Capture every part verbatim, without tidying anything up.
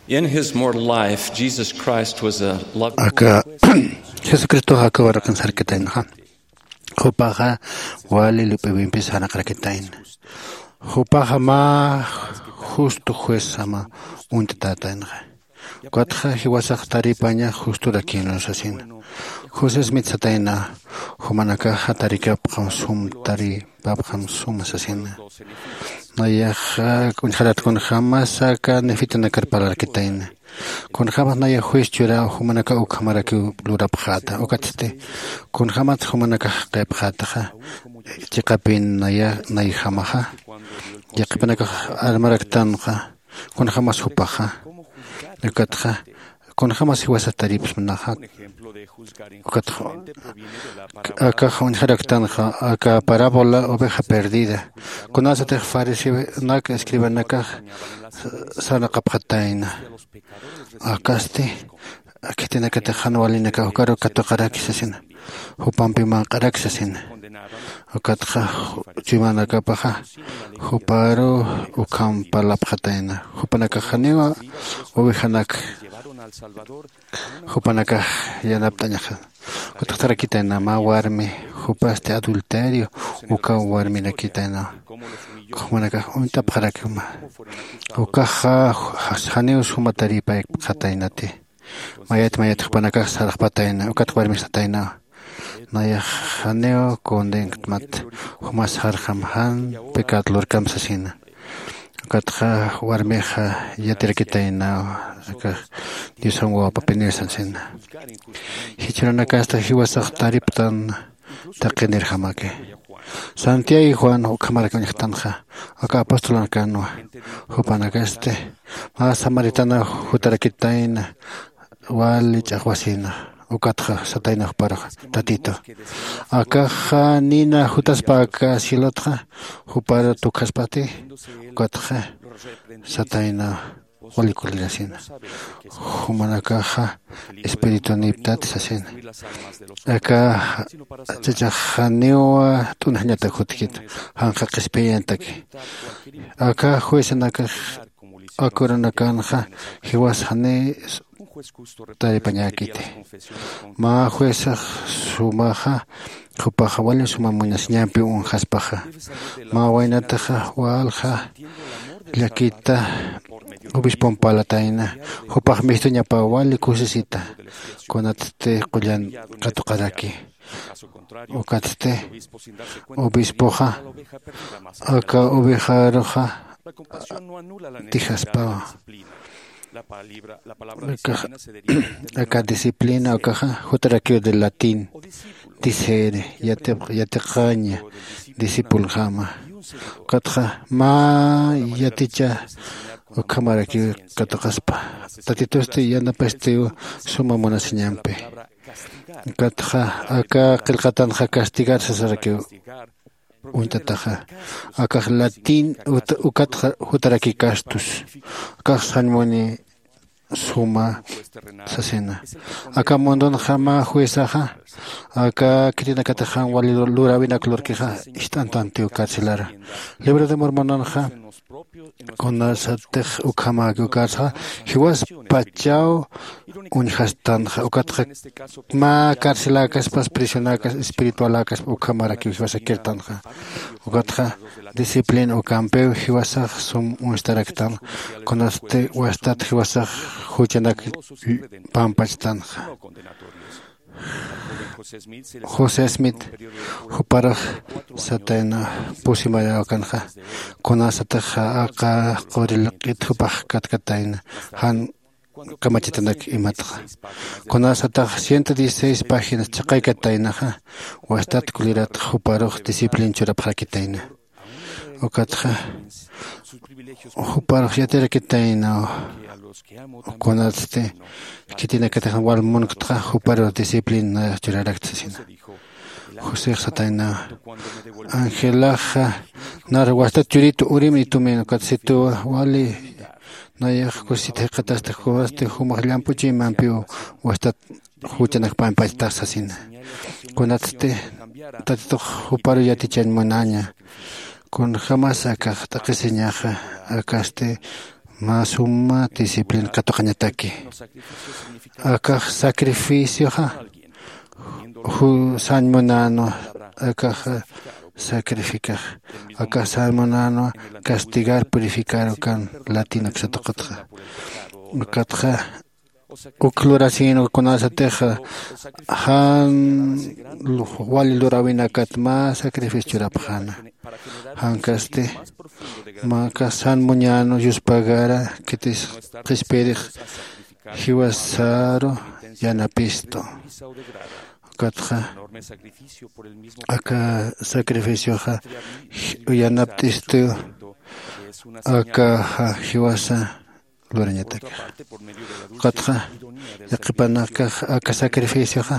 In his mortal life, Jesus Christ was a loving aka Jesucristo aka waraqin sarkitaynaxa. Jupaxa wali lup'iwimpis janaqarakitayna. Jupaxa mä justo juezama uñt'atätaynaxa. Ukatxa jiwasax taripaña justorakinwa sasina. José Smith satayna, jumanakaxa tarikapxam sum taripapxam suma sasina. Nayaxa uñjarat kunjämas aka nefitanakar parlarkitayna. Kunjämas naya juez churaw jumanakax ukhamarakiw lurapxäta. Ukatsti kunjämas jumanakax jaqipxätaxa chiqapin naya nayjamaxa. Yaqhipanakax armaraktanxa. Kunjämas jupaxa. Ukatxa kunjämas jiwasat taripsnaxa. Ukatxa akax uñjaraktanxa aka parábola oveja perdida. Kunasatix fariseonak escribanakax sarnaqapxatayna. Akasti khitinakatix jan walinakax ukaru katuqaraki sasina. Jupampi manq'araki sasina. Ukatxa chuymanakapaxa juparu ukham parlapxatayna. Jupanakax janiwa ovejanak jupanakax yanapt'añaxa. Ukatxa tarakitayna mä warmi jupasti adulterio uka warmirakitayna. Jumanakax uñt'apxarakima. Ukaxa janiw suma taripaypxataynati. Mayat mayat jupanakax sarxpatayna ukat warmix sataynawa. Nayax janiw condenktmat. Jumas jarjam jan pecat lurkam sasina. Ukatxa warmixa yatirakitaynawa. Aka diosan wawapapinir sasina. Jichhürunakasta jiwasax tariptan taqinirjamaki. Santiago y juan ukhamarak uñjtanxa. Aka apostolanakanwa. Jupanakasti mä samaritana jutarakitayna wali ch'axwasina. Ukatxa satayna juparux, tatito, akaxa nina jutaspa aka cielotxa juparu tukjaspati. Ukatxa satayna wali kulirasina. Jumanakaxa espirituniptat sasina. Aka chachax janiw t'unjañatak jutkit, janqa qhispiyantaki. Aka juezanakax akurunakanxa jiwas jani taripañäkiti. Mä juezax sumaxa jupaxa wali suma munasiñampi uñjaspaxa. Mä waynataxa walja llakita obispon parlatayna. Jupax mistuñapa wali kusisita kunatsti qullan katuqaraki. Ukatsti obispoxa aka ovejaruxa dijaspawa. Aka disciplina ukaxa jutarakiw de latín disere yatiqaña discipulxama. Ukatxa mä yaticha ukhamarakiw katuqaspa. Tatitusti yanapastiw suma munasiñampi. Ukatxa aka qillqatanxa castigar sasarakiw uñt'ataxa. Akax latín ukatxa jutaraki castus. Akax sañmuni suma sasina. Aka mundunxa mä juezaxa aka khitinakatix jan wali luräwinak lurkixa ist'antantiw carcelara. Libro de mormonanxa kunasatix ukhamäki ukarsaxa jiwaspachaw uñjastanxa. Ukatxa mä carceläkaspas prisionakas espiritualäkaspa ukhamarakiw jiwasakirtanxa. Ukatxa disciplina ukampiw jiwasax sum uñstaraktan. Kunasti wastat jiwasax juchanak pampachtanxa. José Smith juparux satayna pusimayawakanxa. Kunasataxa aqa quri laq'it jupax katkatayna jan kamachitanak imatxa. Kunasatax ciento dieciséis páginas chaqaykataynaxa wastat kuliratxa juparux disciplin churapxarakitayna. Ukatxa juparux yatirakitaynaw. Kunatsti khitinakatix wal munktxa juparux disciplin nayax churarakta sasina. José satayna angelaxa nar wastat churitu urim itumin ukat situwa wali nayax kusit jiqatasta kunasti jumax llamp'uchuymampiw wastat juchanak pampachtax sasina. Kunatsti tatitux juparu yatichañ munaña. Kunjämas akax t'aqhisiñaxa akasti mä suma disciplina katuqañataki. Akax sacrificioxa ju sañ munänwa. Akax sacrificax akax sañ munänwa castigar purificar ukan latin aksataqatxa. Ukatxa uk lurasïnwa kunasatix jan wali luräwinakat mä sacrificio churapxäna. Jankasti mä kasan muñänu yuspagara khitis qhispirix jiwasaru yanapistu. Ukatxa aka sacrificioxa yanapt'istu. Akaxa jiwasa lurañatak. Ukatxa yaqhipanakax aka sacrificioxa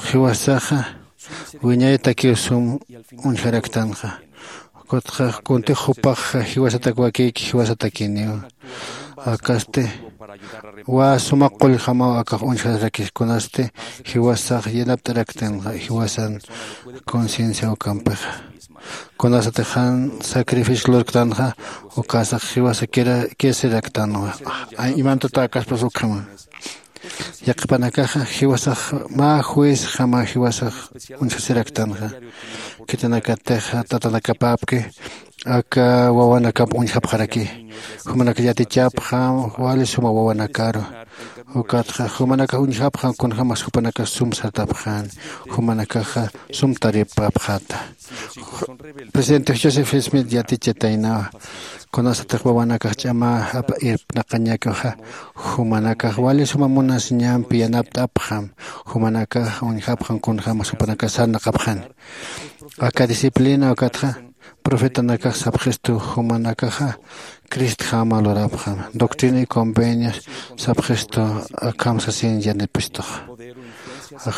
jiwasaxa wiñayatakiw sum uñjaraktanxa. Ukatxa kuntix jupax jiwasatak wakïki jiwasatakiniw. Akasti wä suma qullxamaw akax uñjarakis kunasti jiwasax yanapt'araktanxa jiwasan conciencia ukampixa. Kunasatix jan sacrificio lurktanxa ukasax jiwasa kisiraktanwa. Imantuta akaspas ukhama yaqhipanakaxa jiwasax mä juezjama jiwasax uñjasiraktanxa. Khitinakatix tatanakapäpki aka wawanakap uñjapxaraki. Jumanakax yatichapxam wali suma wawanakaru. Ukatxa jumanakax uñjapxam kunjämas jupanakax sum sartapxäni. Jumanakaxa sum taripapxäta. Presidente joseph smith yatichataynawa kunasatix wawanakax ch'ama irpnaqañakixa jumanakax wali suma munasiñampi yanapt'apxam. Jumanakax uñjapxam kunjämas jupanakax sarnaqapxäni. Aka disciplina ukatxa profetanakax sapxistu jumanakaxa cristjama lurapxam doctrina y convenios sapxistu. Akham sasin yanipistux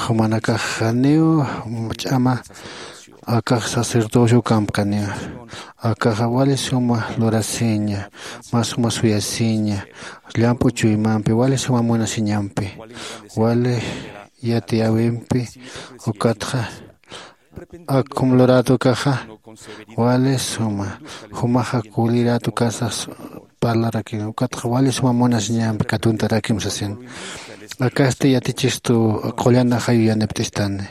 jumanakax janiw ch'ama akax sacerdocio ukampkaniw. Akaxa wali suma lurasiña mä suma suyasiña llamp'u chuymampi wali suma munasiñampi wali yatiyäwimpi. Ukatxa akhum lurätukaxa wali suma jumaxa kulïrätukasax parlarakin ukatxa wali suma munasiñampi katuntarakim sasin. Akasti yatichistu qullan ajayu yanipt'istani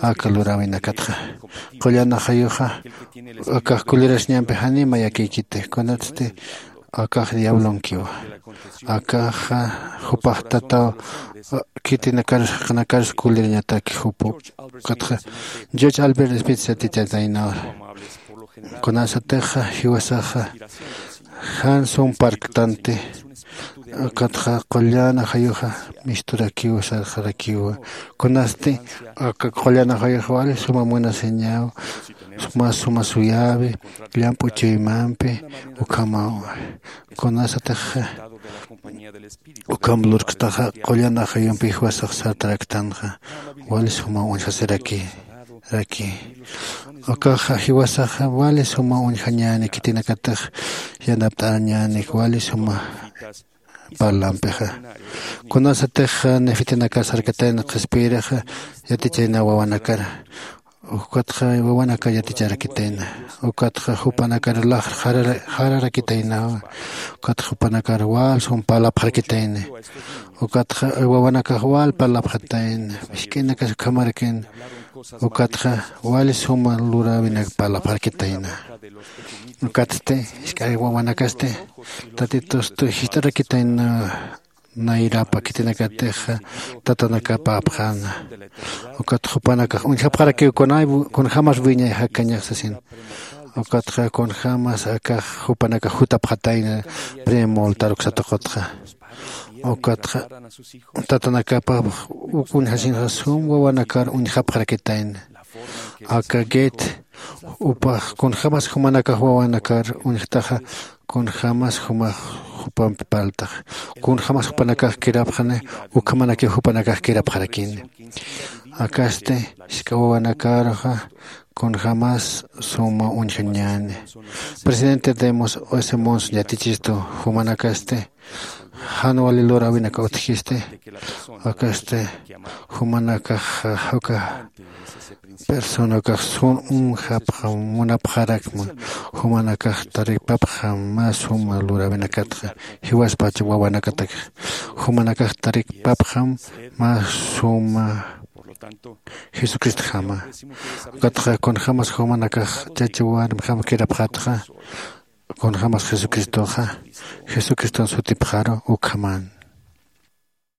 aka luräwinakatxa. Qullan ajayuxa akax kulirasiñampi janima yakïkiti kunatsti akax diablonkiwa. Akaxa jupax tataw khitinakarus jaqinakarus kulirañataki jupu. Ukatxa george albert smith yatichasaynawa kunasatixa jiwasaxa jan sum parktanti. Ukatxa qullan ajayuxa misturakiw sarxarakiwa. Kunasti aka qullan ajayuxa wali suma munasiñaw mä suma suyäwi llamp'u chuymampi ukhamaw. Kunasatix ukham lurkstaxa qullan ajayumpi jiwasax sartaraktanxa wali suma uñjasiraki raki. Ukaxa jiwasaxa wali suma uñjañäni khitinakatix yanapt'añäni wali suma parlampixa. Kunasatix nefitinakar sarkatayna qhispiyirixa yatichayna wawanakar ukatxa wawanakar yaticharakitayna. Ukatxa jupanakar laxr jararakitaynawa. Ukatxa jupanakar wal sum parlapxarakitayni. Ukatxa wawanakax wal parlapxatayna. Misk'inakas ukhamarakin ukatxa wali suma luräwinak parlapxarakitayna. Ukatsti jisk'a wawanakasti tatitustu jist'arakitayna. Nayrapa khitinakatixa tatanakapäpxäna. Ukat jupanakax uñjapxarakiw kunjämas wiñay jakañax sasin. Ukatxa kunjämas akax jupanakax jutapxatayna primo altar uksataqutxa. Ukatxa tatanakapäpx uk uñjasinxa sum wawanakar uñjapxarakitayna. Aka get upax kunjämas jumanakax wawanakar uñjtaxa kunjämas jumax jupampi parltaxa kunjämas jupanakax kirapxani. Ukhamanakiw jupanakax kirapxarakini. Akasti jisk'a wawanakaruxa kunjämas suma uñjañäni. Presidente demos ese monson yatichistu jumanakasti jan wali luräwinaka utjisti. Akasti jumanakax uka Personakax sun unjapxam munapxarakma. Jumanakax taripapxam mä suma luräwinakatxa jiwaspacha wawanakatakxa. Jumanakax taripapxam mä suma jesucristjama. Ukatxa kunjämas jumanakax chacha warmjam kirapxatxa, kunjämas jesucristoxa jesucriston sutipxaru ukhaman.